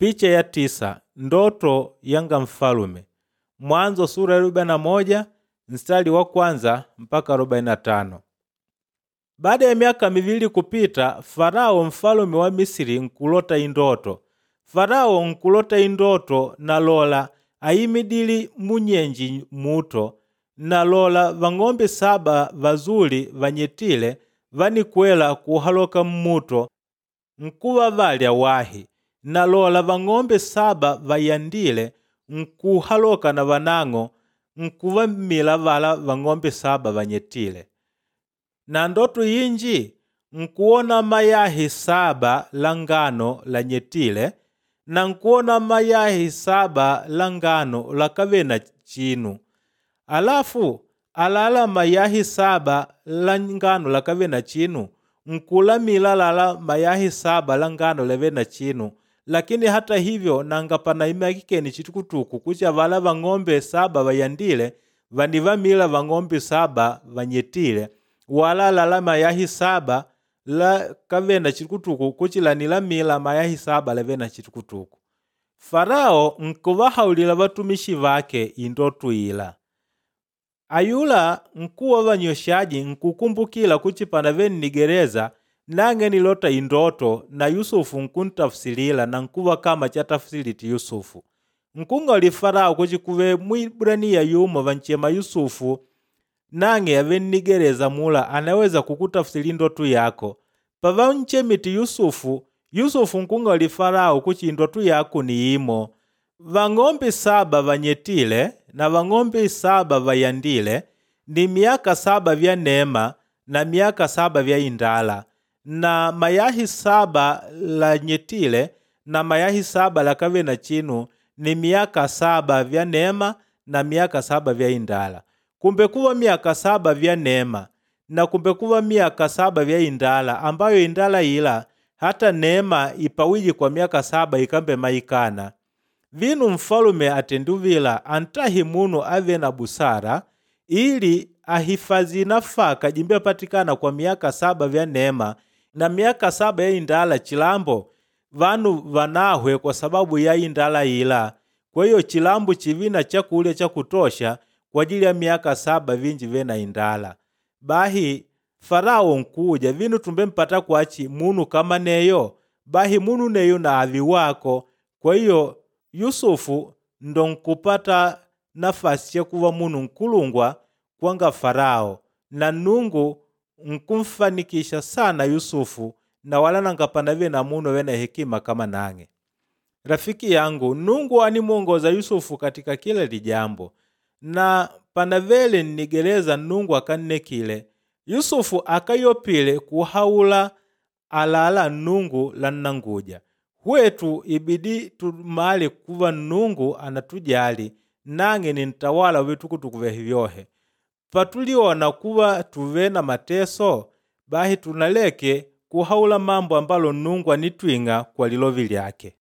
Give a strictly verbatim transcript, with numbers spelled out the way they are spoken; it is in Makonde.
Picha ya tisa ndoto yanga mfalume Mwanzo sura ya arobaini na moja mstari wa kwanza mpaka arobaini na tano. Baada ya miaka mivili kupita, Farao mfalume wa Misiri nkulota indoto. Farao nkulota indoto na lola ayimidili munyenji muto na lola vang'ombe saba vazuli vanyetile vanikwela kuhaloka mmuto nkuva valya wahi na lola vang'ombe saba vayandile nkuhaloka na vanang'o nkuvamila vala vang'ombe saba vanyetile. Na ndoto inji nkuwona mayahi saba la ngano lanyetile na nkuwona mayahi saba la ngano lakave na chinu. Alafu alala mayahi saba la ngano lakave na chinu nkulamila lala mayahi saba la ngano lave na chinu, lakini hata hivyo nanga panaimakikeni chitukutuku kucha vala vang'ombe saba vayandile vanivamila vang'ombe saba vanyetile wala lala mayahi saba la kave na chitukutuku kuchilanilamila mayahi saba lave na chitukutuku. Farao nkuvahaulila vatumishi vake indoto ila. Ayula nkuwa wa vanyweshaji nkukumbukila kuchi panave nnigereza nang'e nilota indoto na Yusufu nkuntafsilila na nkuva kama chatafsiliti Yusufu. Nkung'ali Farao kuchi kuve Mwibraniya yumo vanchema Yusufu nang'e ave nnigereza mula anaweza kukutafsili indoto yako. Pavanchemiti Yusufu, Yusufu nkung'ali Farao kuchi indoto yako ni imo. Vang'ombe saba vanyetile na vang'ombe saba vayandile ni miaka saba vya neema na miaka saba vya indala na mayahi saba lanyetile na mayahi saba lakave na chinu ni miaka saba vya neema na miaka saba vya indala. Kumbe kuva miaka saba vya neema na kumbe kuva miaka saba vya indala ambayo indala ila hata neema ipawiji kwa miaka saba ikambe maikana. Vinu mfalume atenduvila antahi munu ave na busara ili ahifazi nafaka jimbe patikana kwa miaka saba vya neema na miaka saba ya indala chilambo vanu vanahwe kwa sababu ya indala ila. Kwa hiyo chilambo chivina chakulya cha kutosha kwa ajili ya miaka saba vinji vena indala. Bahi Farao nkuja vinu tumbe mpata kwachi munu kama neyo bahi munu neyo na avi wako. Kwa hiyo Yusufu ndo nkupata nafasi ya kuva munu nkulungwa kwanga Farao na Nungu nkumfanikisha sana Yusufu na wala nangapanave na munu wena hekima kama nang'e. Rafiki yangu, Nungu animwongoza Yusufu katika kila lijambo na panavele nnigereza Nungu akannekile Yusufu akayopile kuhaula alala Nungu la nnanguja. Hwetu ibidi tumale kuva Nungu anatujali nang'e ni ntawala witukutuku vyohe. Patuliona kuva tuve na mateso bahi tunaleke kuhaula mambo ambalo Nungu anitwing'a kwa lilovi lyake.